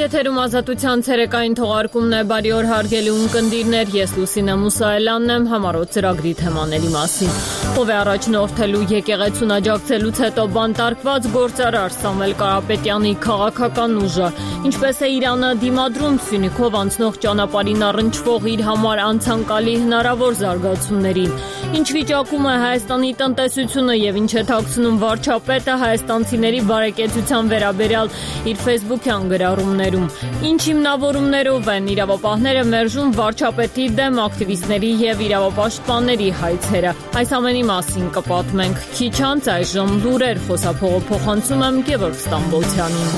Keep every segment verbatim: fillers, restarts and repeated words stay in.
Եթերում ազատության ցերեկային թողարկումն է, բարի օր հարգելի ունկնդիրներ, ես Լուսինե Մուսայելյանն եմ, համառոտ ծրագրի թեմաների մասին։ Ով է առաջնորդելու եկեղեցուն աջակցելուց հետո բանտարկված գործարար Սամվել Կարապետյանի քաղաքական ուժը, ինչպես է Իրանը դիմադրում Սյունիքով անցնող ճանապարհին առնչվող իր համար անցանկալի հնարավոր զարգացումներին, ինչ վիճակում է Հայաստանի տնտեսությունը եւ ինչ է թաքցնում վարչապետը հայաստանցիների բարեկեցության վերաբերյալ իր ֆեյսբուքյան գրառումներում, ինչ հիմնավորումներով են իրավապահները մերժում վարչապետի դեմ ակտիվիստների եւ իրավապաշտպանների հայցերը։ Այս ամենի մասին կպատմենք քիչ անց, այժմ լուրեր, խոսափողը փոխանցում եմ Գևորգ Ստամբոլցյանին։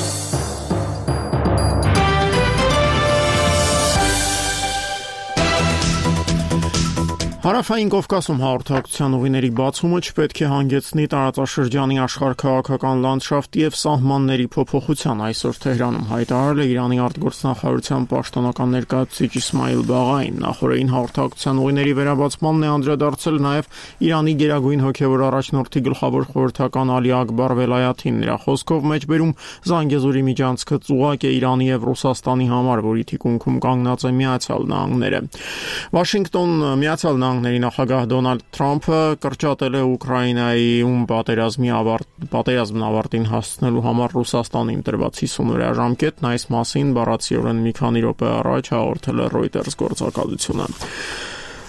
Հարավային Կովկասում հաղորդակցության ուղիների բացումը չպետք է հանգեցնի տարածաշրջանի աշխարհաքաղաքական լանդշաֆտի եւ սահմանների փոփոխության, այսօր Թեհրանում հայտարարել է Իրանի արտգործնախարարության պաշտոնական ներկայացուցիչ Իսմայիլ Բաղային։ Նախորդին հաղորդակցության ուղիների վերաբացմանն է անդրադարձել նաեւ Իրանի գերագույն հոգեվոր առաջնորդի գլխավոր խորհրդական Ալի Ակբար Վելայաթին։ Նրա խոսքով մեջբերում Զանգեզուրի միջանցքը ծուղակ է Իրանի եւ Ռուսաստանի համար, որի թիկունքում կանգնած է Միացյալ Նահանգները։ Վաշինգտոն Միացյալ Նահանգների նախագահ Դոնալդ Թրամփը կրճատել է Ուկրաինայի ում պատերազմի ավարտ պատերազմն ավարտին հասցնելու համար Ռուսաստանին տրված հիսուն օրյա ժամկետն, այս մասին բառացիորեն մի քանի րոպե առաջ հաղորդել է Reuters գործակալությունը։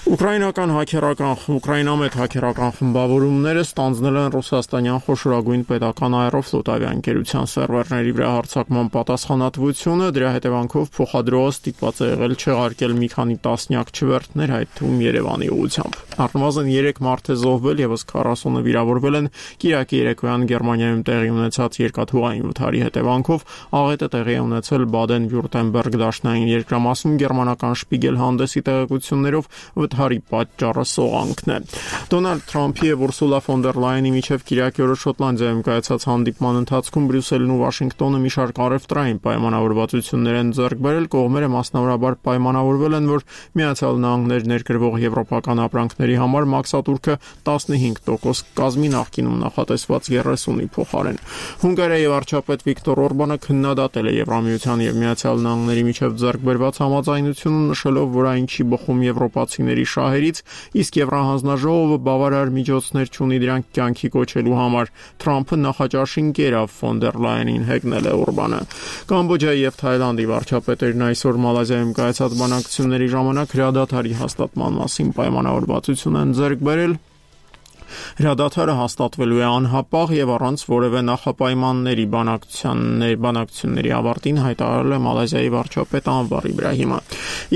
Ուկրաինական հակերական Ուկրաինամետ հակերական խմբավորումները ստանձնել են ռուսաստանյան խոշորագույն պետական աերոֆլոտ ավիաընկերության սերվերների վրա հարձակման պատասխանատվությունը, դրա հետևանքով փոխադրողը ստիպված է եղել չեղարկել մի քանի տասնյակ չվերթներ, այդ թվում Երևանի ուղղությամբ։ Առնվազն երեք մարդ է զոհվել, եւս քառասունը վիրավորվել են Կիրակի երեկոյան Գերմանիայում տեղի ունեցած երկաթուղային վթարի հետևանքով։ Աղետը տեղի է ունեցել Բադեն-Վյուրտեմբերգ դաշնային երկրամասում գերմանական Շպիգել հանդեսի տեղեկություններով Հարի պատճառը սողանքն է։ Դոնալդ Թրամփի եւ Ուրսուլա ֆոն դեր Լայենի միջև Կիրակի օրը Շոտլանդիայում կայացած հանդիպման ընթացքում Բրյուսելն ու Վաշինգտոնը մի շարք առևտրային պայմանավորվածություններ են ձեռք բերել։ Կողմերը մասնավորաբար պայմանավորվել են, որ Միացյալ Նահանգներ ներկրվող եվրոպական ապրանքների համար մաքսատուրքը տասնհինգ տոկոս կազմի նախկինում նախատեսված երեսունի փոխարեն։ Հունգարիայի վարչապետ Վիկտոր Օրբանը քննադատել է Եվրամիության եւ Միացյալ Նահանգների միջև ձեռք բերված համաձայնությունը, նշելով, որ այն չի բխում եվրոպացիների շահերից, իսկ Եվրահանձնաժողովը բավարար միջոցներ չունի դրանք կյանքի կոչելու համար։ Թրամփը նախաճաշին կերավ ֆոն դեր Լայենին, հեգնել է Օրբանը։ Կամբոջայի եւ Թայլանդի վարչապետերն այսօր Մալազիայում կայացած բանակցությունների ժամանակ հրադադարի հաստատման մասին պայմանավորվածություն են ձեռք բերել։ Հրադադարը հաստատվելու է անհապաղ եւ առանց որևէ նախապայմանների բանակցությունների բանակցությունների ավարտին, հայտարարել է Մալազիայի վարչապետ Անվար Իբրահիմը։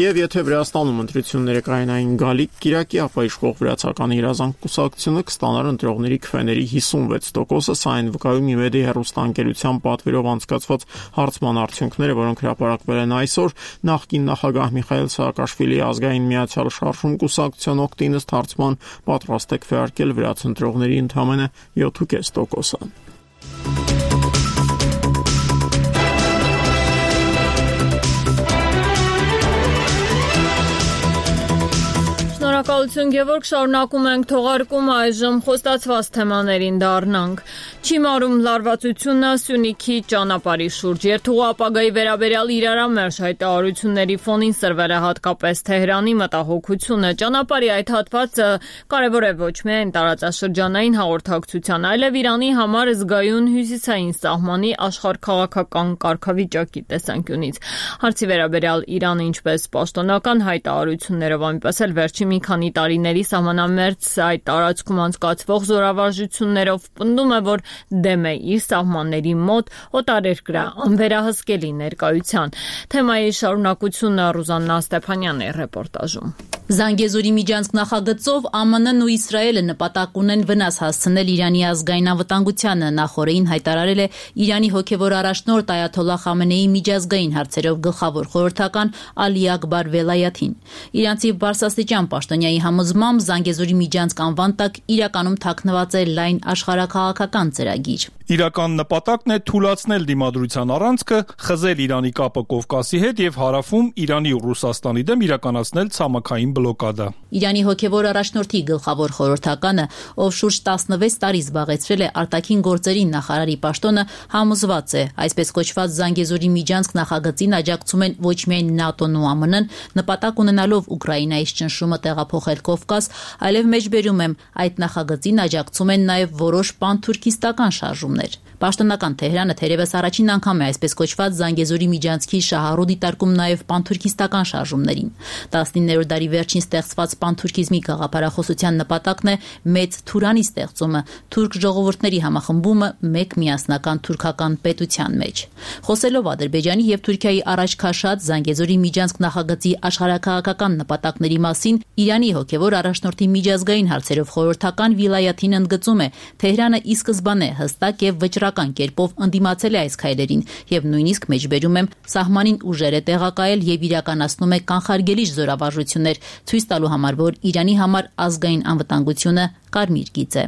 Եվ եթե Վրաստանում ընտրությունները կայանային գալիք Կիրակի, ապա իշխող վրացական իրազանք կուսակցությունը կստանար ընտրողների քվեների հիսունվեց տոկոսը, սա այն վկայում Իմեդի հեռուստաընկերության պատվերով անցկացված հարցման արդյունքները, որոնք հրապարակվել են այսօր։ Նախկին նախագահ Միխայել Սաակաշվիլի ազգային միացյալ շարժում կուսակցության օգտին ըստ հարցման պատրաստ է քվեարկել վրաց ընտրողների ընդամենը յոթ կես տոկոսը։ Շնորհակալություն Գևորգ, շարունակում ենք թողարկումը, այժմ խոստացված թեմաներին դառնանք։ Չի մարում լարվածությունը Սյունիքի ճանապարհի շուրջ։ Երթուղու ապագայի վերաբերյալ իրարամերժ հայտարարությունների ֆոնին սրվել է հատկապես Թեհրանի մտահոգությունը։ Ճանապարհի այդ հատվածը կարևոր է ոչ միայն տարածաշրջանային հաղորդակցության, այլև Իրանի համար զգայուն հյուսիսային սահմանի աշխարհքաղաքական կարգավիճակի տեսանկյունից։ Հարցի վերաբերյալ Իրանը ինչպես պաշտոնական հայտարարություններով, այնպես էլ վերջին մի քանի տարիների սահմանամերձ այդ տարածքում անցկացվող զորավարժություններով պնդում է, որ դեմ է իր սահմանների մոտ օտարերկրյա անվերահսկելի ներկայության։ Թեմայի շարունակությունը Ռուզաննա Ստեփանյանն է ռեպորտաժում։ Զանգեզուրի միջանցք նախագծով Α M N-ն ու Իսրայելը նպատակ ունեն վնաս հասցնել Իրանի ազգային անվտանգությանը, նախորդին հայտարարել է Իրանի հոգևոր առաջնորդ Այաթոլլահ Խամենեիի միջազգային հարցերով գլխավոր խորհրդական Ալի Ակբար Վելայաթին։ Իրանցի բարձրաստիճան պաշտոնյայի համոզմամբ Զանգեզուրի միջանցք անվան տակ իրականում թաքնված է լայն աշխարհաքաղաքական ծրագիր։ Իրական նպատակն է թուլացնել դիմադրության առանցքը, խզել Իրանի կապը Կովկասի հետ եւ հարավում Իրանի ու Ռուսաստանի դեմ իրականացնել ցամաքային բլոկադա։ Իրանի հոգևոր առաջնորդի գլխավոր խորհրդականը, ով շուրջ տասնվեց տարի զբաղեցրել է արտաքին գործերի նախարարի պաշտոնը, համոզված է, այսպես կոչված Զանգեզուրի միջանցք նախագծին աջակցում են ոչ միայն ՆԱՏՕ-ն ու ԱՄՆ-ն, նպատակ ունենալով Ուկրաինայից ճնշումը տեղափոխել Կովկաս, այլև մեջբերում եմ, այդ նախագծին աջակցում են նաև որոշ պանթուրքիստական շարժումներ։ Պաշտոնական Թեհրանը թերևս առաջին անգամ է այսպես կոչված Զանգեզուրի միջանցքի շահառու դիտարկում նաև պանթուրքիստական շարժումներին։ տասնիններորդ դարի վերջին ստեղծված պանթուրքիզմի գաղափարախոսության նպատակն է մեծ Թուրանի ստեղծումը, թուրք ժողովուրդների համախմբումը մեկ միասնական թուրքական պետության մեջ։ Խոսելով Ադրբեջանի եւ Թուրքիայի առաջ քաշած Զանգեզուրի միջանցք նախագծի աշխարհաքաղաքական նպատակների մասին Իրանի հոգևոր առաջնորդի միջազգային հարցերով խորհրդական Վիլայաթին ընդգծում է, Թեհրանը ի սկզբանե հստակ եւ վճռական կերպով ընդդիմացել է այս քայլերին եւ նույնիսկ մեջբերում եմ սահմանին ուժեր է տեղակայել եւ իրականացնում է կանխարգելիչ զորավարժություններ, ցույց տալու համար, որ Իրանի համար ազգային անվտանգությունը կարմիր գիծ է։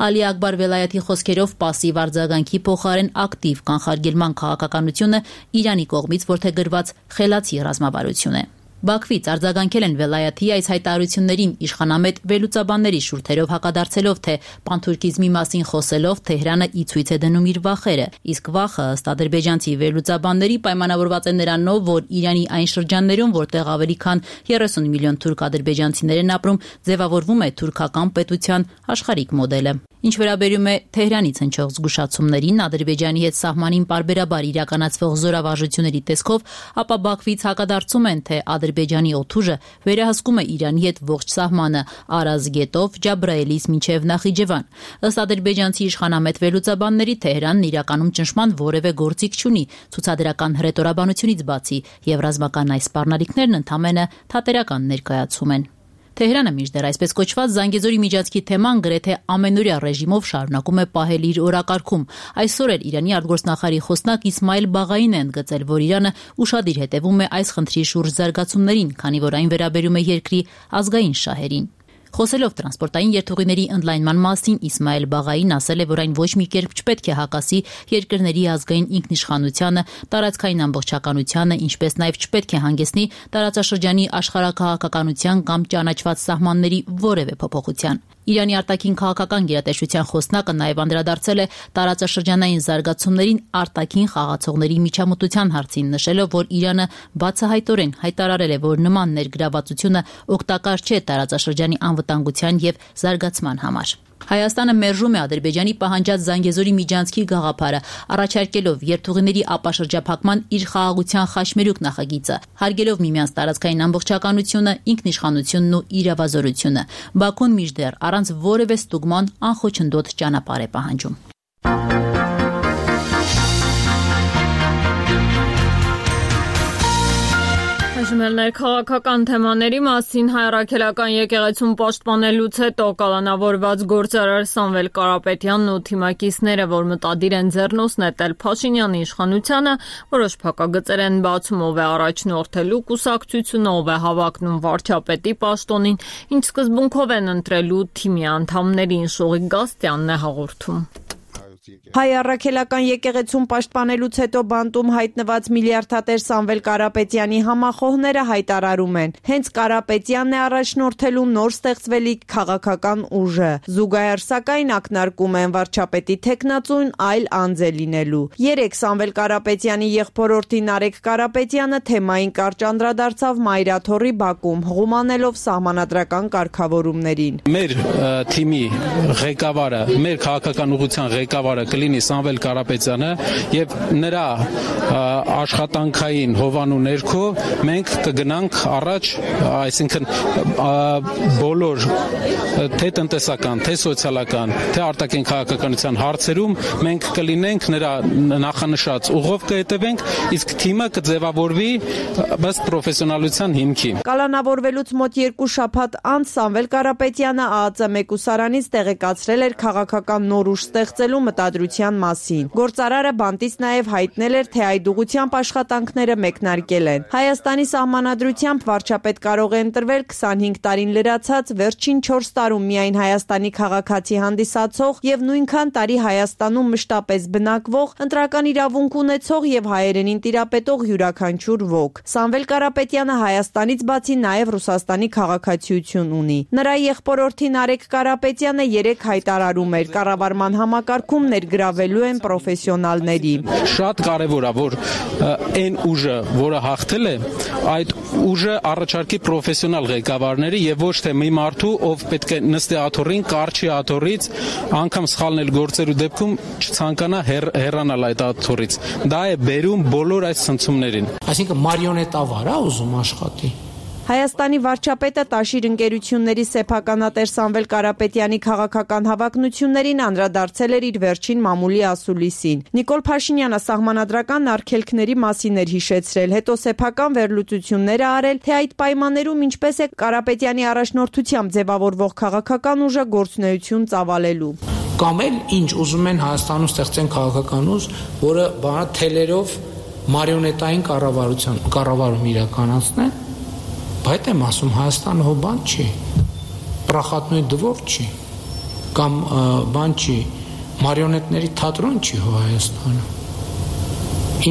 Ալի Ակբար Վելայաթի խոսքերով պասիվ արձագանքի փոխարեն ակտիվ կանխարգելման քաղաքականությունը Իրանի կողմից որդեգրված խելացի ռազմավարություն է։ Բաքվից արձագանքել են Վելայաթի այս հայտարարություններին իշխանամետ վերլուծաբանների շուրթերով հակադարձելով, թե պանթուրքիզմի մասին խոսելով Թեհրանը ի ցույց է դնում իր վախերը, իսկ վախը ըստ ադրբեջանցի վերլուծաբանների պայմանավորված է նրանով, որ Իրանի այն շրջաններում, որտեղ ավելի քան երեսուն միլիոն թուրք ադրբեջանցիներ են ապրում, ձևավորվում է թուրքական պետության աշխարհիկ մոդելը։ Ինչ վերաբերում է Թեհրանից հնչող զգուշացումներին Ադրբեջանի հետ սահմանին պարբերաբար իրականացվող զորավարժությունների տեսքով, ապա Բաքվից հակադարձում են, թե Ադրբեջանի օդուժը վերահսկում է Իրանի հետ ողջ սահմանը Արազ գետով Ջաբրայելից մինչև Նախիջևան։ Ըստ ադրբեջանցի իշխանամետ վերլուծաբանների Թեհրանն իրականում ճնշման որևէ գործիք չունի ցուցադրական հռետորաբանությունից բացի, եւ ռազմական այս սպառնալիքներն ընդամենը թատերական ներկայացում են։ Թեհրանը մինչդեռ այսպես կոչված Զանգեզուրի միջանցքի թեման գրեթե ամենօրյա ռեժիմով շարունակում է պահել իր օրակարգում։ Այսօր էլ Իրանի արտգործնախարարի խոսնակ Իսմայել Բաղային է ընդգծել, որ Իրանը ուշադիր հետևում է այս խնդրի շուրջ զարգացումներին, քանի որ այն վերաբերում է երկրի ազգային շահերին։ Խոսելով տրանսպորտային երթուղիների ընդլայնման մասին Իսմայել Բաղային ասել է, որ այն ոչ մի կերպ չպետք է հակասի երկրների ազգային ինքնիշխանությանը, տարածքային ամբողջականությանը, ինչպես նաև չպետք է հանգեցնի տարածաշրջանի աշխարհաքաղաքականության կամ ճանաչված սահմանների որևէ փոփոխության։ Իրանի արտաքին քաղաքական գերատեսչության խոսնակը նաև անդրադարձել է տարածաշրջանային զարգացումներին արտաքին խաղացողների միջամտության հարցին, նշելով, որ Իրանը բացահայտորեն հայտարարել է, որ նման ներգրավվածությունը օգտակար չէ տարածաշրջանի անվտանգության եւ զարգացման համար։ Հայաստանը մերժում է Ադրբեջանի պահանջած Զանգեզուրի միջանցքի գաղափարը, առաջարկելով երթուղիների ապաշրջափակման իր խաղաղության խաչմերուկ նախագիծը, հարգելով միմյանց տարածքային ամբողջականությունը, ինքնիշխանությունն ու իրավազորությունը։ Բաքուն մինչդեռ առանց որևէ ստուգման անխոչնդոտ ճանապարհ է պահանջում։ Ներքաղաքական թեմաների մասին Հայ առաքելական եկեղեցուն պաշտպանելուց հետո կալանավորված գործարար Սամվել Կարապետյանն ու թիմակիցները, որ մտադիր են ձեռնոց նետել Փաշինյանի իշխանությանը, որոշ փակագծեր են բացում, ով է առաջնորդելու կուսակցությունը, ով է հավակնում վարչապետի պաշտոնին, ինչ սկզբունքով են ընտրելու թիմի անդամներին, Շողիկ Գաստյանն է հաղորդում։ Հայ առաքելական եկեղեցուն պաշտպանելուց հետո բանտում հայտնված միլիարդատեր Սամվել Կարապետյանի համախոհները հայտարարում են, հենց Կարապետյանն է առաջնորդելու նոր ստեղծվելիք քաղաքական ուժը։ Զուգահեռ սակայն ակնարկում են վարչապետի թեկնածուն այլ անձ է լինելու։ Երեկ Սամվել Կարապետյանի եղբորորդի Նարեկ Կարապետյանը թեմային կարճ անդրադարձավ Մայրաթոռի բակում, հղումանելով սահմանադրական կարգավորումներին։ Մեր թիմի ղեկավարը, մեր քաղաքական ուղղության ղեկավարը կլինի Սամվել Կարապետյանը եւ նրա աշխատանքային հովանու ներքո մենք կգնանք առաջ, այսինքն բոլոր թե տնտեսական, թե սոցիալական, թե արտաքին քաղաքականության հարցերում մենք կլինենք նրա նախանշած ուղով կհետևենք, իսկ թիմը կձևավորվի ըստ պրոֆեսիոնալության հիմքի։ Կալանավորվելուց մոտ երկու շաբաթ անց Սամվել Կարապետյանը ԱԱԾ մեկուսարանից տեղեկացրել էր քաղաքական նոր ուժ ստեղծելու մտադրությամբ սահմանադրության մասին։ Գործարարը բանտից նաև հայտնել էր, թե այդ ուղղությամբ աշխատանքները մեկնարկել են։ Հայաստանի սահմանադրությամբ վարչապետ կարող է ընտրվել քսանհինգ տարին լրացած վերջին չորս տարում միայն Հայաստանի քաղաքացի հանդիսացող եւ նույնքան տարի Հայաստանում մշտապես բնակվող, ընտրական իրավունք ունեցող եւ հայերենին տիրապետող յուրաքանչյուր ոք։ Սամվել Կարապետյանը Հայաստանից բացի նաև Ռուսաստանի քաղաքացիություն ունի։ Նրա եղբորորդի Նարեկ Կարապետյանը երեք հայտարարում էր, կառավարման համակարգում ներգրավելու են պրոֆեսիոնալների։ Շատ կարևոր է, որ այն ուժը, որը հաղթել է, այդ ուժը առաջարկի պրոֆեսիոնալ ղեկավարների եւ ոչ թե մի մարդու, ով պետք է նստի աթոռին, կարճի աթոռից, անգամ սխալնել գործերու դեպքում չցանկանա հեռ, հեռանալ այդ աթոռից։ Դա է բերում բոլոր այս ցնցումներին։ Այսինքն մարիոնետավար է ուզում աշխատի։ Հայաստանի վարչապետը Տաշիր ընկերությունների սեփականատեր Սամվել Կարապետյանի քաղաքական հավակնություններին անդրադարձել էր իր վերջին մամուլի ասուլիսին։ Նիկոլ Փաշինյանը սահմանադրական արգելքների մասին էր հիշեցրել, հետո սեփական վերլուծություններ արել, թե այդ պայմաններում ինչպես է Կարապետյանի առաջնորդությամբ ձևավորվող քաղաքական ուժը գործունեություն ծավալելու։ Կամ էլ ինչ ուզում են Հայաստանում ստեղծեն քաղաքական ուժ, որը բանը թելերով մարիոնետային կառավարության կառավարում իրականացնեն։ Բայց եմ ասում, Հայաստանը հո բան չի, պրախատնույ դվոր չի, կամ բան չի, մարիոնետների թատրոն չի հո Հայաստանը,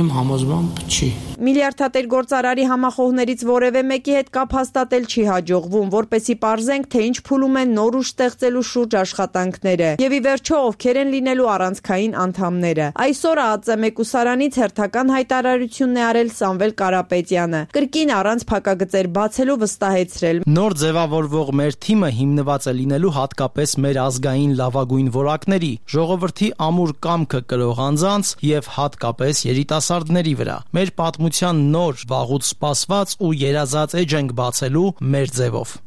իմ համոզմամբ չի։ Միլիարդատեր գործարարի համախոհներից որևէ մեկի հետ կապ հաստատել չի հաջողվում, որպեսզի պարզենք, թե ինչ փուլում են նոր ուժ ստեղծելու շուրջ աշխատանքները եւ ի վերջո ովքեր են լինելու առանցքային անդամները։ Այսօր ԱԱԾ մեկուսարանից հերթական հայտարարությունն է արել Սամվել Կարապետյանը, կրկին առանց փակագծեր բացելու վստահեցրել. Նոր ձևավորվող մեր թիմը հիմնված է լինելու հատկապես մեր ազգային լավագույն որակների, ժողովրդի ամուր կամքը կրող անձանց եւ հատկապես երիտասարդների վրա։ Մեր պատմության նոր, վաղուց սպասված ու երազած էջ ենք բացելու մեր ձևով։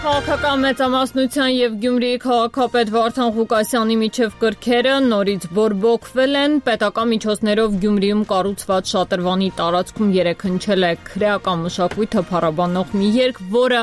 Քաղաքական մեծամասնության եւ Գյումրիի քաղաքապետ Վարդան Ղուկասյանի միջև կրքերը նորից բորբոքվել են։ Պետական միջոցներով Գյումրիում կառուցված շատրվանի տարածքում երեկ հնչել է քրեական մշակույթը փառաբանող մի երգ, որը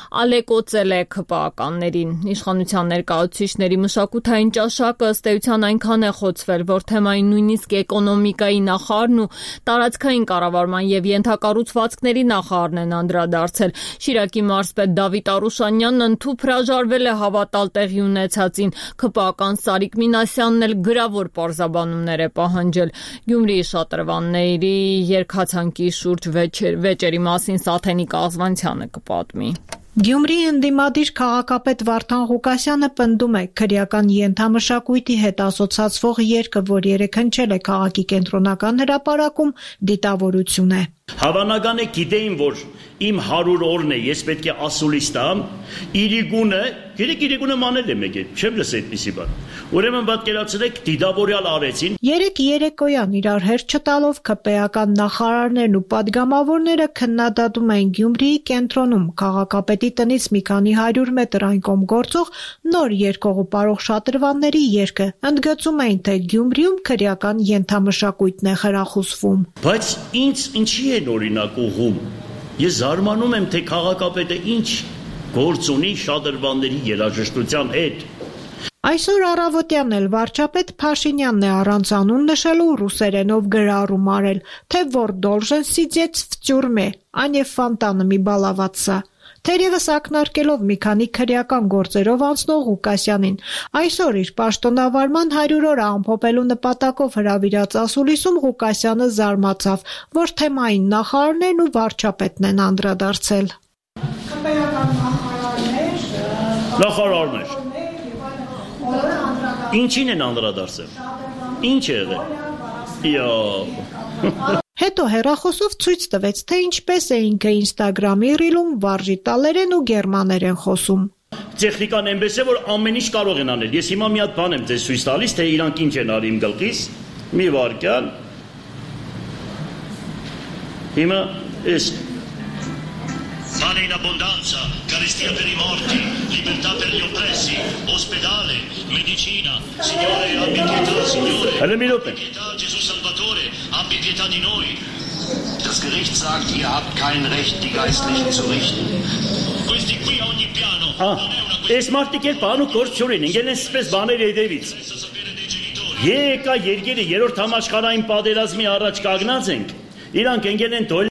ալեկոծել է ՔՊԱ-ականներին։ Իշխանության ներկայացուցիչների մշակութային ճաշակը ըստ էության այնքան է խոցվել, որ թեմային նույնիսկ էկոնոմիկայի նախարարն ու տարածքային կառավարման եւ ենթակառուցվածքների նախարարն են անդրադարձել։ Շիրակի մարզպետ Դավիթ Արուշանյանն ընդհուպ հրաժարվել է հավատալ տեղի ունեցածին։ ՔՊԱ-ական Սարիկ Մինասյանն էլ գրավոր պարզաբանումներ է պահանջել։ Գյումրիի շատրվանների երկհացանկի շուրջ վեճերի մասին Սաթենիկ Ազվանցյանը կպատմի։ Գյումրիի ընդդիմադիր քաղաքապետ Վարդան Ղուկասյանը պնդում է քրեական ենթամշակույթի հետ ասոցացվող երգը, որ երեկ հնչել է քաղաքի կենտրոնական հրապարակում, դիտավորություն է։ Հավանական է գիտեին, որ իմ հարյուր օրն է, ես պետք է ասուլիս տամ, իրիգունը, երեք իրիգունը մանել է մեկ է, չեմ լսել այդպիսի բան։ Ուրեմն պատկերացրեք, դիտավորյալ արեցին։ Երեք երեկոյան իրար հերթ չտալով ՔՊԱ-ական նախարարներն ու падգամավորները քննադատում էին Գյումրիի կենտրոնում քաղաքապետի տնից մի քանի հարյուր մետր այն կողմ գործող նոր երկողու պարող շատրվանների երգը։ Ընդգծում էին, թե Գյումրիում քրեական ենթամշակույթն է խրախուսվում։ Բայց ինձ ինչի է օրինակ ուղում։ Ես զարմանում եմ, թե քաղաքապետը ինչ գործ ունի շատրվանների երաժշտության հետ։ Այսօր առավոտյան էլ վարչապետ Փաշինյանն է առանց անուն նշելու ռուսերենով գրառում արել, թե որ должен сидеть в тюрьме, а не фонтанами баловаться։ Թերևս ակնարկելով մի քանի քրեական գործերով անցնող Ղուկասյանին, այսօր իր պաշտոնավարման հարյուր օրը ամփոփելու նպատակով հրավիրած ասուլիսում Ղուկասյանը զարմացավ, որ թեմային նախարարներն ու վարչապետն են անդրադարձել։ Քպեական նախարարներ, նախարարներ։ Ինչին են անդրադարձել։ Ինչ է եղել։ Յա Հետո հեռախոսով ցույց տվեց, թե ինչպես է ինքը Instagram-ի ռիլում վարժի տալերեն ու գերմաներեն խոսում։ Տեխնիկան այնպես է, որ ամեն ինչ կարող են անել։ Ես հիմա մի հատ բան եմ ձեզ ցույց տալիս, թե իրանք ինչ են արի իմ գլխիս։ Մի վարքյան։ Հիմա էս pane in abbondanza, carestia per i morti, libertà per gli oppressi, ospedale, medicina. Signore, abbi pietà, Signore. Abbi pietà, Gesù Salvatore, abbi pietà di noi. Das Gericht sagt, ihr habt kein Recht, die Geistlichen zu richten. Questi qui a ogni piano. Այս մարդիկ էլ բան ու գործ չունեն, ինքն են սպես բաներ հետևից։ Եկա երկիրը երրորդ համաշխարհային պատերազմի առաջ կանգնած ենք։ Իրանք ընկել են դոլ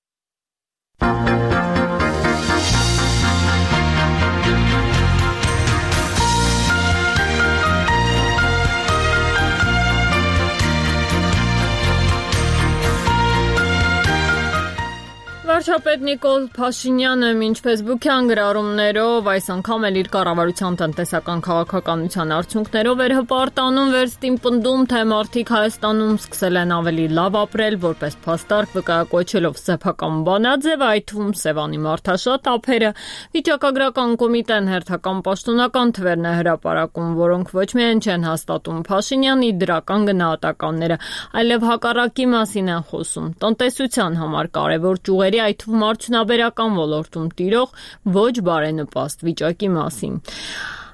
Վարչապետ Նիկոլ Փաշինյանը մինչ ֆեյսբուքյան գրառումներով այս անգամ էլ իր կառավարության տնտեսական քաղաքականության արդյունքներով էր հպարտանում վերստին պնդում, թե մարդիկ Հայաստանում սկսել են ավելի լավ ապրել, որպես փաստարկ վկայակոչելով սեփական բանաձև, այդ թվում Սևանի մարդաշատ ափերը, վիճակագրական կոմիտեն հերթական պաշտոնական թվերն է հրապարակում, որոնք ոչ միայն չեն հաստատում Փաշինյանի դրական գնահատականները, այլև հակառակի մասին են խոսում, տնտեսության համար կարևոր ճյուղերի այդ թվում արդյունաբերական ոլորտում տիրող ոչ բարենպաստ վիճակի մասին։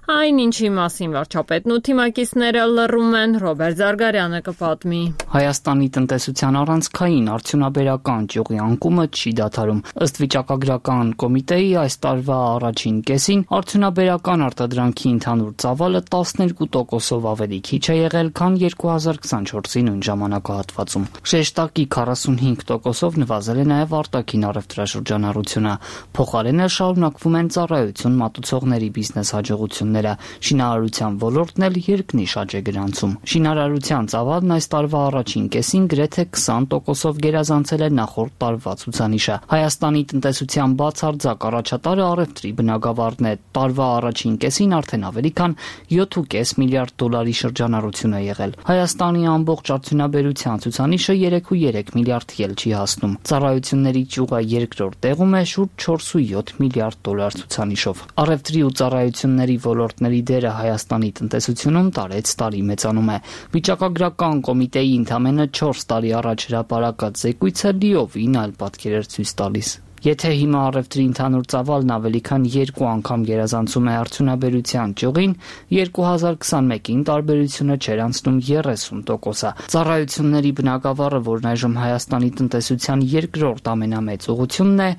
Այն ինչի մասին վարչապետն ու թիմակիցները լռում են, Ռոբերտ Զարգարյանը կպատմի։ Հայաստանի տնտեսության առանցքային արդյունաբերական ճյուղի անկումը չի դադարում։ Ըստ վիճակագրական կոմիտեի այս տարվա առաջին կեսին արդյունաբերական արտադրանքի ընդհանուր ծավալը տասներկու տոկոսով ավելի քիչ է եղել, քան երկու հազար քսանչորսի նույն ժամանակահատվածում։ Շեշտակի քառասունհինգ տոկոսով նվազել է նաև արտաքին առևտրաշրջանառությունը։ Փոխարենը շարունակվում են ծառայություն մատուցողների բիզնես հաջողությունները։ Շինարարության ոլորտն էլ երկնիշ աճ է գրանցում։ Շինարարության ծավալն այս տարվա առաջին կեսին գրեթե քսան տոկոսով գերազանցել է նախորդ տարվա ցուցանիշը։ Հայաստանի տնտեսության բացարձակ առաջատարը առևտրի բնագավառն է։ Տարվա առաջին կեսին արդեն ավելի քան յոթ կόμμα պենս միլիարդ դոլարի շրջանառություն է եղել։ Հայաստանի ամբողջ արդյունաբերության ցուցանիշը երեք կόμma երեք միլիարդ էլ չի հասնում։ Ծառայությունների ճյուղը երկրորդ տեղում է շուրջ չորս կόμma յոթ միլիարդ դոլար ցուցանիշով։ Առևտրի ու ծառայությունների ոլորտների դերը Հայաստանի տնտեսությունում տարեց տարի մեծանում է։ Վիճակագրական կոմիտեի ընդամենը չորս տարի առաջ հրապարակած զեկույցը լիովին այլ պատկեր էր ցույց տալիս։ Եթե հիմա առևտրի ընդհանուր ծավալն ավելի քան երկու անգամ գերազանցում է արդյունաբերության ճյուղին, երկու հազար քսանմեկին տարբերությունը չէր անցնում երեսուն տոկոսը։ Ծառայությունների բնագավառը, որն այժմ Հայաստանի տնտեսության երկրորդ ամենամեծ ուղղությունն է,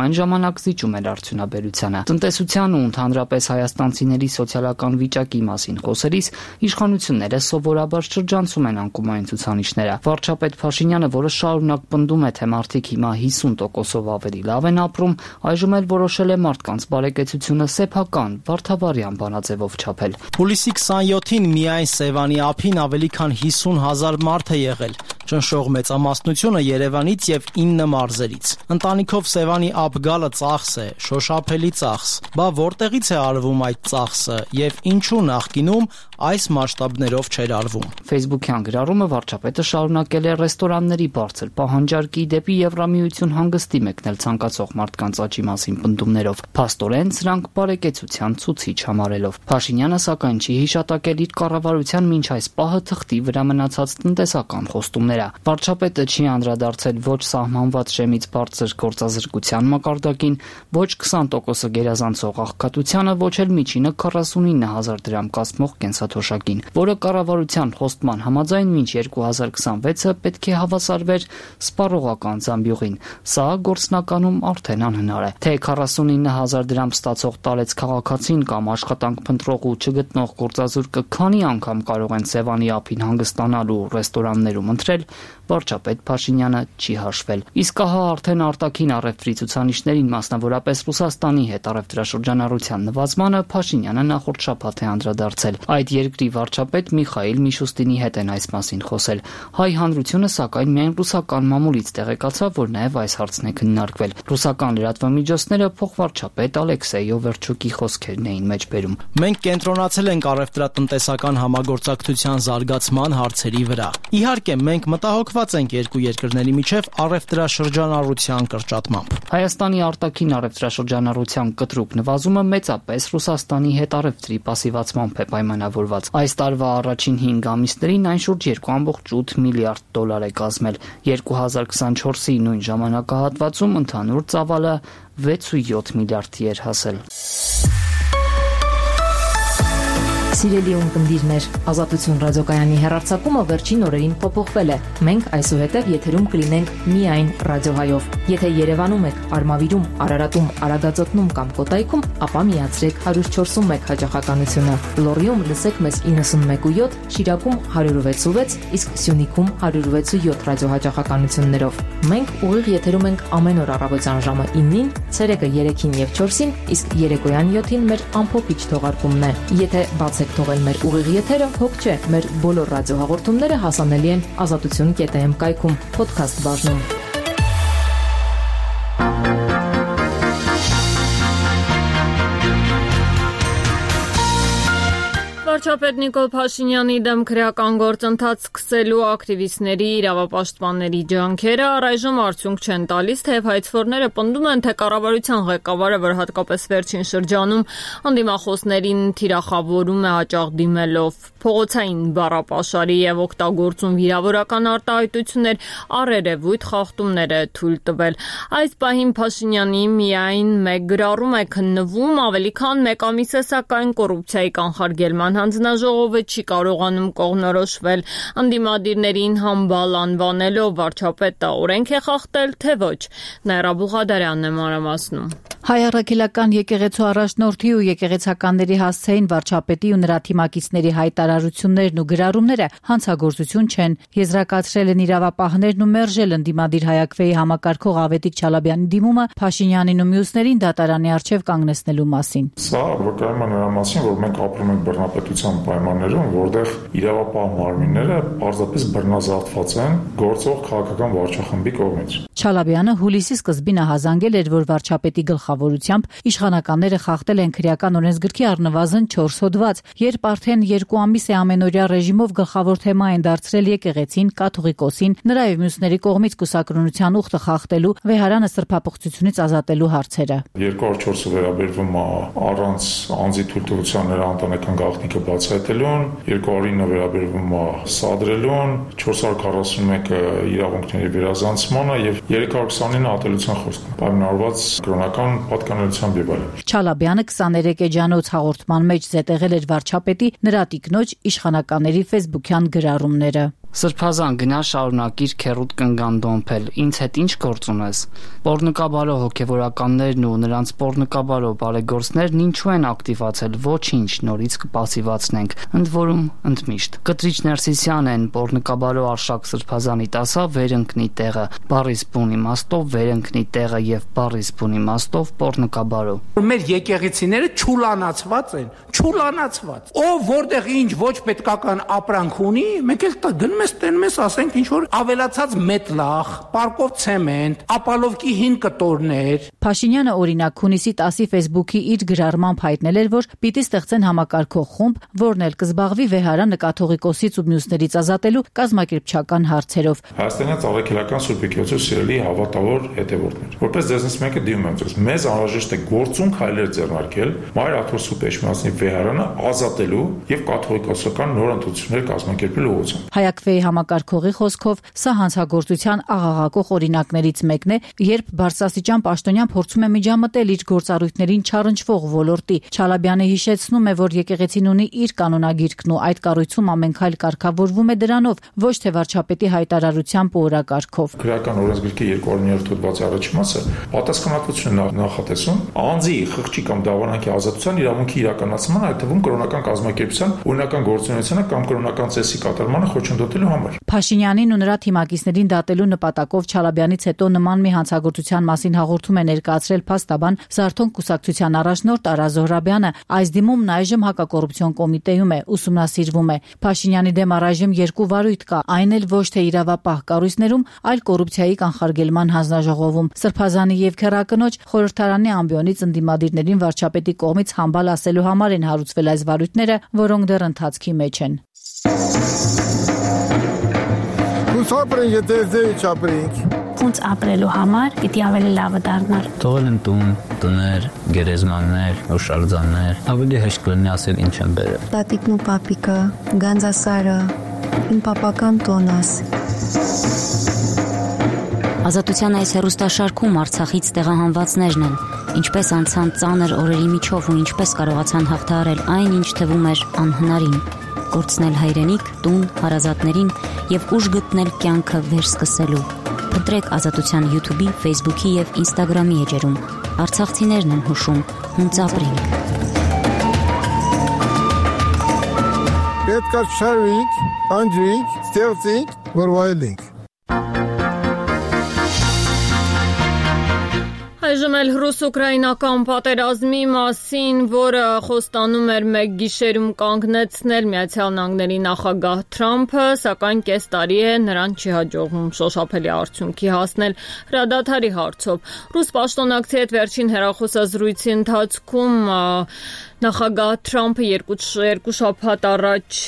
այն ժամանակ զիջում էր արդյունաբերությանը։ Տնտեսության ու ընդհանրապես հայաստանցիների սոցիալական վիճակի մասին խոսելիս իշխանությունները սովորաբար շրջանցում են անկումային ցուցանիշները։ Վարչապետ Փաշինյանը, որը շարունակ պնդում է, թե մարդիկ հիմա հիսուն տոկոսով ավելի լավ են ապրում, այժմ էլ որոշել է մարդկանց բարեկեցությունը սեփական վարդավառյան բանաձևով չափել։ Հուլիսի քսանյոթին միայն Սևանի ափին ավելի քան հիսուն հազար մարդ է եղել։ Ճնշող մեծամասնությունը Երևանից եւ ինը մարզերից։ Ընտանիքով Սևանի ափ գալը ծախս է, շոշափելի ծախս։ Բա որտեղից է արվում այդ ծախսը եւ ինչու նախկինում այս մասշտաբներով չէր արվում։ Facebook-յան գրառումը վարչապետը շարունակել է ռեստորանների բարձր պահանջարկի դեպի Եվրամիություն հանգստի մեկնել ցանկացող մարդկանց աճի մասին պնդումներով։ Փաստորեն սրանք բարեկեցության ցուցիչ համարելով։ Փաշինյանը սակայն չի հիշատակել իր կառավարության մինչ այս պահը թղթի վրա մնացած տնտեսական խոստումները։ Վարչապետը չի անդրադարձել ոչ սահմանված շեմից բարձր գործազրկության մակարդակին, ոչ քսան տոկոսը գերազանցող աղքատությանը, ոչ էլ միջինը քառասունինը հազար դրամ կազմող կենսաթոշակին, որը կառավարության խոստման համաձայն մինչ երկու հազար քսանվեցը պետք է հավասարվեր սպառողական զամբյուղին։ Սա գործնականում արդեն անհնար է։ Թե քառասունինը հազար դրամ ստացող տարեց քաղաքացին կամ աշխատանք փնտրող ու չգտնող գործազուրկը քանի անգամ կարող են Սևանի ափին հանգստանալ ու ռեստորաններում ընտրել, վարչապետ Փաշինյանը չի հաշվել։ Իսկ ահա արդեն արտաքին առևտրի ցուցանիշներին, մասնավորապես Ռուսաստանի հետ առևտրաշրջանառության նվազմանը Փաշինյանը նախորդ շաբաթ է անդրադարձել։ Այդ երկրի վարչապետ Միխայիլ Միշուստինի հետ են այս մասին խոսել։ Հայ հանրությունը սակայն միայն ռուսական մամուլից տեղեկացավ, որ նաև այս հարցն է քննարկվել։ Ռուսական լրատվամիջոցները փոխվարչապետ Ալեքսեյ Օվերչուկի խոսքերն էին մեջբերում։ Մենք կենտրոնացել ենք առևտրատնտեսական համագործակցության զարգացման հարցերի վրա։ Իհարկե, մենք մտահոգված ենք երկու երկրների միջև առևտրաշրջանառության կրճատմամբ։ Հայաստանի արտաքին առևտրաշրջանառության կտրուկ նվազումը մեծապես Ռուսաստանի հետ առևտրի պասիվացմամբ է պայմանավորված։ Այս տարվա առաջին հինգ ամիսներին այն շուրջ երկու կόμma ութ միլիարդ դոլար է կազմել։ երկու հազար քսանչորսի նույն ժամանակահատվածում ընդհանուր ծավալը վեց կόμma յոթ միլիարդի էր հասել։ Սիրելի ունկնդիրներ, Ազատություն ռադիոկայանի հեռարձակումը վերջին օրերին փոփոխվել է։ Մենք այսուհետև եթերում կլինենք միայն ռադիոհայով։ Եթե Երևանում եք, Արմավիրում, Արարատում, Արագածոտնում կամ Կոտայքում, ապա միացրեք հարյուր չորս մեկ հաճախականությունը։ Լոռիում լսեք մեզ իննսունմեկ կόμma յոթ, Շիրակում հարյուր վեց կόμma վեց, իսկ Սյունիքում հարյուր վեց կόμma յոթ ռադիոհաճախականություններով։ Մենք ուղիղ եթերում ենք ամեն օր առավոտյան ժամը իննին, ցերեկը երեքին եւ չորսին, իսկ երեկոյան յոթին մեր ամփոփիչ թողարկումն է։ Եթե բացեք թողել մեր ուղիղ եթերը, հոգ չէ, մեր բոլոր ռադիոհաղորդումները հասանելի են ազատություն կետ էմ կայքում, podcast բաժնում։ Վարչապետ Նիկոլ Փաշինյանի դեմ քրեական գործընթաց սկսելու ակտիվիստների, իրավապաշտպանների ջանքերը առայժմ արդյունք չեն տալիս, թեև հայցվորները պնդում են, թե կառավարության ղեկավարը, որ հատկապես վերջին շրջանում անդիմախոսներին թիրախավորում է հաճախ դիմելով փողոցային բառապաշարի եւ օգտագործում վիրավորական արտահայտություններ, առերևույթ խախտումներ է թույլ տվել։ Այս պահին Փաշինյանի միայն մեկ գրառում է քննվում, ավելի քան մեկ ամիս է սակայն կոռուպցիայի կանխարգելման հանձնաժողովը չի կարողանում կողմնորոշվել անդիմադիրներին համբալ անվանելով վարչապետը օրենք է խախտել, թե ոչ։ Նաիրա Բուղադարյանն է մանրամասնում։ Հայ առաքելական եկեղեցու առաջնորդի ու եկեղեցականների հասցեին վարչապետի ու նրա թիմակիցների հայտարարություններն ու գրառումները հանցագործություն չեն, եզրակացրել են իրավապահներն ու մերժել ընդդիմադիր Հայաքվեի համակարգող Ավետիք Չալաբյանի դիմումը Փաշինյանին ու մյուսներին դատարանի առջև կանգնեցնելու մասին։ Սա վկայում է նրա մասին, որ մենք ապրում ենք բռնապետության պայմաններում, որտեղ իրավապահ մարմինները պարզապես բռնազավթված են գործող քաղաքական վարչախմբի կողմից։ Չալաբյանը հուլիսի սկզբին ահազանգել էր, որ վարչապետի գլխավորությամբ իշխանականները խախտել են քրեական օրենսգրքի առնվազն չորս հոդված, երբ արդեն երկու ամիս է ամենօրյա ռեժիմով գլխավոր թեմա են դարձրել եկեղեցին, կաթողիկոսին, նրա եւ մյուսների կողմից կուսակրոնության ուխտը խախտելու, վեհարանը սրբապղծությունից ազատելու հարցերը։ երկու հազար չորսը վերաբերվում է առանց անձի թույլտվության նրա ընտանեկան գաղտնիքը բացահայտելուն, երկու հազար ինը վերաբերվում է սադրելուն, չորս հարյուր քառասունմեկը իրավունքների վերազանցմանը եւ երեք հարյուր քսանինը ատելության խոսքը, պայմանավորված կրոնական պատկանելությամբ եւ այլն։ Չալաբյանը քսաներեք էջանոց հաղորդման մեջ զետեղել էր վարչապետի նրա տիկնոջ իշխանականների ֆեյսբուքյան գրառումները։ Սրբազան գնա շարունակիր քերուտ կնգան դոմփել, ինձ հետ ինչ գործ ունես։ Պոռնկաբարո հոգևորականներն ու նրանց պոռնկաբարո բարեգործներն ինչու են ակտիվացել, ոչինչ, նորից կպասիվացնենք, ընդ որում ընդմիշտ։ Կտրիչ Ներսիսյան են պոռնկաբարո Արշակ Սրբազանի տասա վերընկնի տեղը, բարիս բուն իմաստով վերընկնի տեղը եւ բարիս բուն իմաստով պոռնկաբարո։ Մեր եկեղեցիները չուլանացված են, չուլանացված։ Ով որտեղ ինչ ոչ պետքական ապրանք ունի, մենք էլ գնում ես տենում ես, ասենք ինչ որ ավելացած մետլախ, պարկով ցեմենտ, ապալովկի հին կտորներ։ Փաշինյանը օրինակ հունիսի տասի ֆեյսբուքի իր գրառմամբ հայտնել էր, որ պիտի ստեղծեն համակարգող խումբ, որն էլ կզբաղվի վեհարանը կաթողիկոսից ու մյուսներից ազատելու կազմակերպչական հարցերով։ Հայաստանյան Ծաղրաքելական Սուրբ Եկեղեցու սիրելի հավատավոր հետևորդներ, որպես դեզնից մեկը դիմում եմ ձեզ, մեզ անհրաժեշտ է գործունք հայլեր ձեռնարկել Մայր Աթոր Սուրբ Էջմիածնի վեհարանը ազատելու եւ կաթողիկոսական նոր ընտրություններ կազմակերպելու ուղղությամբ։ Հայաքվեի համակարգողի խոսքով սա հանցագործության աղաղակող օրինակներից մեկն է, երբ բարձրաստիճան պաշտոնյան փորձում է միջամտել իր գործառույթներին չառնչվող ոլորտի։ Չալաբյանը հիշեցնում է, որ եկեղեցին ունի իր կանոնագիրքն ու այդ կառույցում ամեն քայլ կարգավորվում է դրանով, ոչ թե վարչապետի հայտարարությամբ ու օրակարգով։ Քրեական օրենսգրքի երկու հազար նոյ հոդվածի առաջին մասը պատասխանատվություն նախատեսում անձի խղճի կամ դավանանքի ազատության իրավունքի իրականացման, այդ թվում կրոնական կազմակերպության օրինական գործունեությանը կամ կրոնական ծեսի կատարմանը խոչընդոտելու համար։ Փաշինյանին ու նրա թիմակիցներին դատելու նպատակով Չալաբյանից հետո նման մի հանցագործության մասին հաղորդում է ներկայացրել փաստաբան Զարթոնք կուսակցության առաջնորդ Արա Զոհրաբյանը։ Այս դիմումն այժմ հակակոռուպցիոն կոմիտեում է, ուսումնասիրվում է։ Փաշինյանի դեմ առայժմ երկու վարույթ կա, այն էլ ոչ թե իրավապահ կառույցներում, այլ կոռուպցիայի կանխարգելման հանձնաժողովում։ Սրբազանի եւ քերակնոջ խորհրդարանի ամբիոնից ընդդիմադիրներին վարչապետի կողմից համբալ ասելու համար են հարուցվել այս վարույթները, որոնք դեռ ընթացքի մեջ են։ Չապրենք, եթե ձեի չապրենք։ Ոնց ապրելու համար պիտի ավելի լավը դառնար։ Թողել են տուն, տներ, գերեզմաններ, հուշարձաններ, ավելի հեշտ կլինի ասել ինչ են բերել։ Տատիկն ու պապիկը, Գանձասարը, իմ պապական տոնս։ Ազատության այս հեռուստաշարքում Արցախից տեղահանվածներն են, ինչպես անցան ծանր օրերի միջով ու ինչպես կարողացան հաղթահարել այն, ինչ թվում էր անհնարին, կորցնել հայրենիք, տուն, հարազատներին եւ ուժ գտնել կյանքը վերսկսելու։ Փնտրեք Ազատության YouTube-ի, Facebook-ի եւ Instagram-ի էջերում։ Արցախցիներն են հուշում, հունց ապրենք։ Պետք է շարվենք, անջրենք, ստեղծենք, որ վայելենք։ Այժմ էլ ռուս-ուկրաինական պատերազմի մասին, որը խոստանում էր մեկ գիշերում կանգնեցնել Միացյալ Նահանգների նախագահ Թրամփը, սակայն կես տարի է նրան չի հաջողվում շոշափելի արդյունքի հասնել հրադադարի հարցով։ Ռուս պաշտոնակցի հետ վերջին հեռախոսազրույցի ընթացքում նախագահ Թրամփը երկու շաբաթ առաջ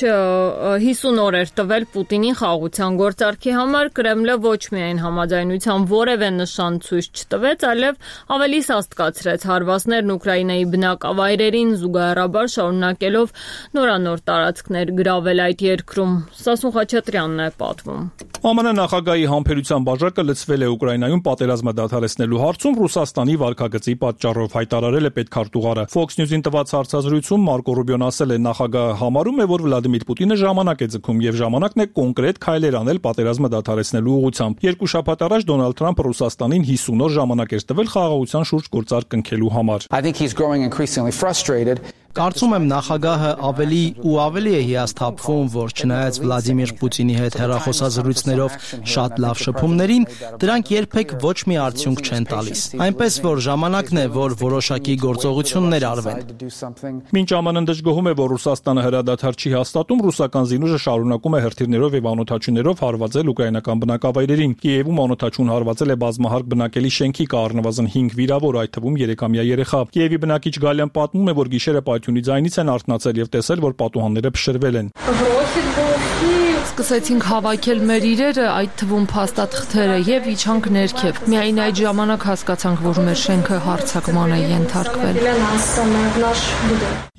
հիսուն օր էր տվել Պուտինին խաղաղության գործարքի համար, Կրեմլը ոչ միայն համաձայնության որևէ նշան ցույց չտվեց, այլև ավելի սաստկացրեց հարվածներն Ուկրաինայի բնակավայրերին, զուգահեռաբար շարունակելով նորանոր տարածքներ գրավել այդ երկրում։ Սասուն Խաչատրյանն է պատմում։ ԱՄՆ նախագահի համբերության բաժակը լցվել է Ուկրաինայում պատերազմը դադարեցնելու հարցում Ռուսաստանի վարկագծի պատճառով, հայտարարել է պետքարտուղարը։ Fox News-ին տված հարցազրույցում Մարկո Ռուբիոն ասել է, նախագահը համարում է, որ Վլադիմիր Պուտինը ժամանակ է ձգում եւ ժամանակն է կոնկրետ քայլեր անել պատերազմը դադարեցնելու ուղղությամբ։ Երկու շաբաթ առաջ Դոնալդ Թրամփը Ռուսաստանին հիսուն օր ժամանակ էր տվել խաղաղության շուրջ գործարք կնքելու համար։ Կարծում եմ նախագահը ավելի ու ավելի է հիասթափվում, որ չնայած Վլադիմիր Պուտինի հետ հեռախոսազրույցներով շատ լավ շփումներին, դրանք երբեք ոչ մի արդյունք չեն տալիս։ Այնպես որ ժամանակն է, որ որոշակի գործողություններ արվեն։ Մինչ ԱՄՆ-ն դժգոհում է, որ Ռուսաստանը հրադադար չի հաստատում, ռուսական զինուժը շարունակում է հրթիռներով եւ անօդաչուներով հարվածել ուկրաինական բնակավայրերին։ Կիևում անօդաչուն հարվածել է բազմահարկ բնակելի շենքի, կա առնվազն հինգ վիրավոր, այդ թվում երեքամյա երեխա։ Կիևի բնակիչ Գալյան պատմում է, որ գիշերը Պայթյունի ձայնից են արթնացել եւ տեսել, որ պատուհանները փշրվել են։ Սկսեցինք հավաքել մեր իրերը, այդ թվում փաստաթղթերը եւ իջանք ներքև։ Միայն այդ ժամանակ հասկացանք, որ մեր շենքը հարձակման է ենթարկվել։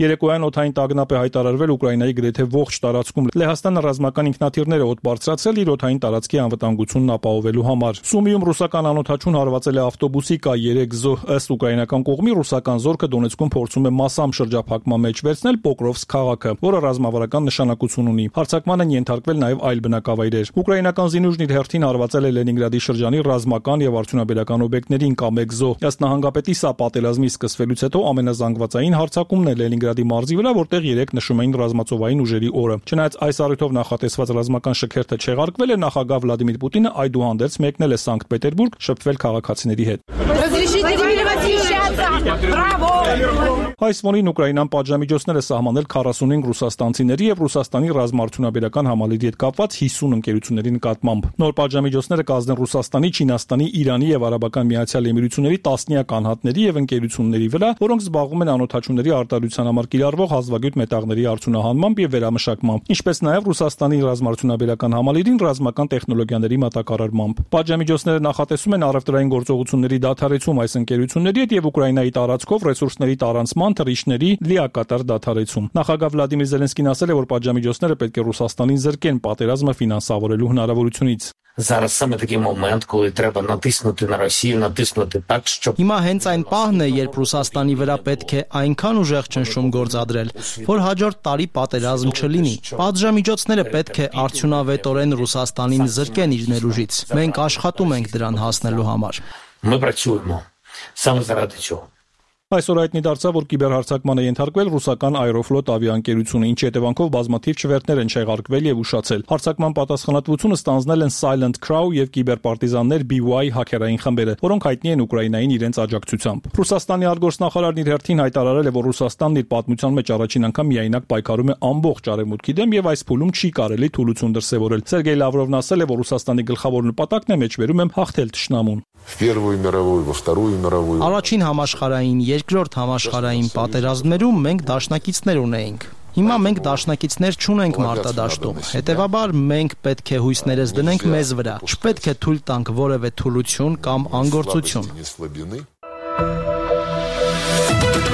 Երեկոյան օդային տագնապ է հայտարարվել Ուկրաինայի գրեթե ողջ տարածքում։ Լեհաստանը ռազմական ինքնաթիռները օդ բարձրացրել իր օդային տարածքի անվտանգությունն ապահովելու համար։ Սումիում ռուսական անօդաչուն հարվածել է ավտոբուսի, կա երեք զոհ, ըստ ուկրաինական կողմի ռուսական զորքը Դոնեցկում փորձում է massամբ շրջափակման մեջ վերցնել Պոկրովսկ քաղաքը, որը ռազմավարական նշանակություն ունի։ Հարձակման են ենթարկվել նաև այլ բնակավայրեր։ Ուկրաինական զինուժն իր հերթին հարվածել է Լենինգրադի շրջանի ռազմական եւ արդյունաբերական օբյեկտներին, կա մեկ զոհ։ Ըստ նահանգապետի սա պատերազմի սկսվելուց հետո ամենազանգվածային հարձակումն է Լենինգրադի մարզի վրա, որտեղ երեք նշում էին ռազմածովային ուժերի օրը։ Չնայած այս առիթով նախատեսված ռազմական շքերթը չեղարկվել է, նախագահ Վլադիմիր Պուտինը այդուհանդերձ մեկնել է Սանկտ Պետերբուրգ շփվել քաղաքացիների հետ։ Այս ֆոնին Ուկրաինան պատժամիջոցներ է սահմանել քառասունհինգ ռուսաստանցիների եւ Ռուսաստանի ռազմաարդյունաբերական համալիրի հետ կապված հիսուն ընկերությունների նկատմամբ։ Նոր պատժամիջոցները կազդեն Ռուսաստանի, Չինաստանի, Իրանի եւ Արաբական Միացյալ Էմիրությունների տասնյակ անհատների եւ ընկերությունների վրա, որոնք զբաղվում են անօդաչուների արտադրության համար կիրառվող հազվագյուտ մետաղների արդյունահանմամբ եւ վերամշակմամբ, ինչպես նաեւ Ռուսաստանի ռազմաարդյունաբերական համալիրին ռազմական տեխնոլոգիաների մատակարարմամբ։ Պատժամիջոցները նախատեսում են առևտրային գործողությունների դադարեցում այս ընկերությունների հետ եւ Ուկրաինայի տարածքով ռեսուրսների տարանցման, թռիչքների լիակատար դադարեցում։ Նախագահ Վլադիմիր Զելենսկին ասել է, որ պատժամիջոցները պետք է Ռուսաստանին զրկեն պատերազմը ֆինանսավորելու հնարավորությունից։ Зараз саме такий момент, коли треба натиснути на Росію, натиснути так, щоб Հիմա հենց այն պահն է, երբ Ռուսաստանի վրա պետք է այնքան ուժեղ ճնշում գործադրել, որ հաջորդ տարի պատերազմ չլինի։ Պատժամիջոցները պետք է արդյունավետորեն Ռուսաստանին զրկեն իր ներուժից։ Մենք աշխատում ենք դրան հասնելու համար։ Ми працюємо саме заради цього. Այսօր հայտնի դարձավ, որ կիբերհարձակման է ենթարկվել ռուսական Aeroflot ավիաընկերությունը, ինչի հետևանքով բազմաթիվ չվերթներ են չեղարկվել եւ ուշացել։ Հարձակման պատասխանատվությունը ստանձնել են Silent Crow եւ կիբերպարտիզաններ B Y հաքերային խմբերը, որոնք հայտնի են Ուկրաինային իրենց աջակցությամբ։ Ռուսաստանի արտգործնախարարն իր հերթին հայտարարել է, որ Ռուսաստանն իր պատմության մեջ առաջին անգամ միայնակ պայքարում է ամբողջ արևմուտքի դեմ եւ այս փուլում չի կարելի թուլություն դրսեւորել։ Սերգեյ Լավրովն ասել է, որ Ռուսաստանի գլխավոր նպատակն է մեջբերում եմ հաղթել թշնամուն։ В Первую мировую, во Вторую мировую. Առաջին համաշխարհային, երկրորդ համաշխարհային պատերազմներում մենք դաշնակիցներ ունեինք։ Հիմա մենք դաշնակիցներ չունենք մարտադաշտում, հետևաբար մենք պետք է հույսներս դնենք մեզ վրա, չպետք է թույլ տանք որևէ թուլություն կամ անգործություն։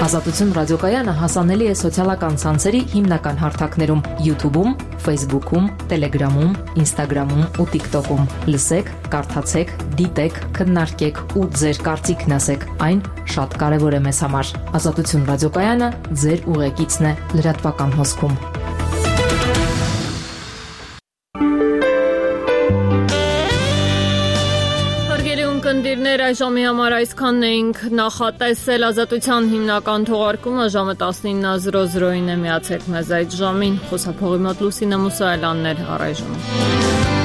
Ազատություն ռադիոկայանը հասանելի է սոցիալական ցանցերի հիմնական հարթակներում՝ YouTube-ում, Facebook-ում, Telegram-ում, Instagram-ում ու TikTok-ում։ Լսեք, կարդացեք, դիտեք, քննարկեք ու ձեր կարծիքն ասեք։ Այն շատ կարևոր է մեզ համար։ Ազատություն ռադիոկայանը ձեր ուղեկիցն է լրատվական հոսքում։ Կնդիրներ այժմի համար այսքանն էինք նախատեսել ազատության հիմնական թողարկումը ժամը տասնինը զրո զրոին է միացեք մեզ այդ ժամին խոսափողի մոտ Լուսինե Մուսայելյանն էր առայժմ։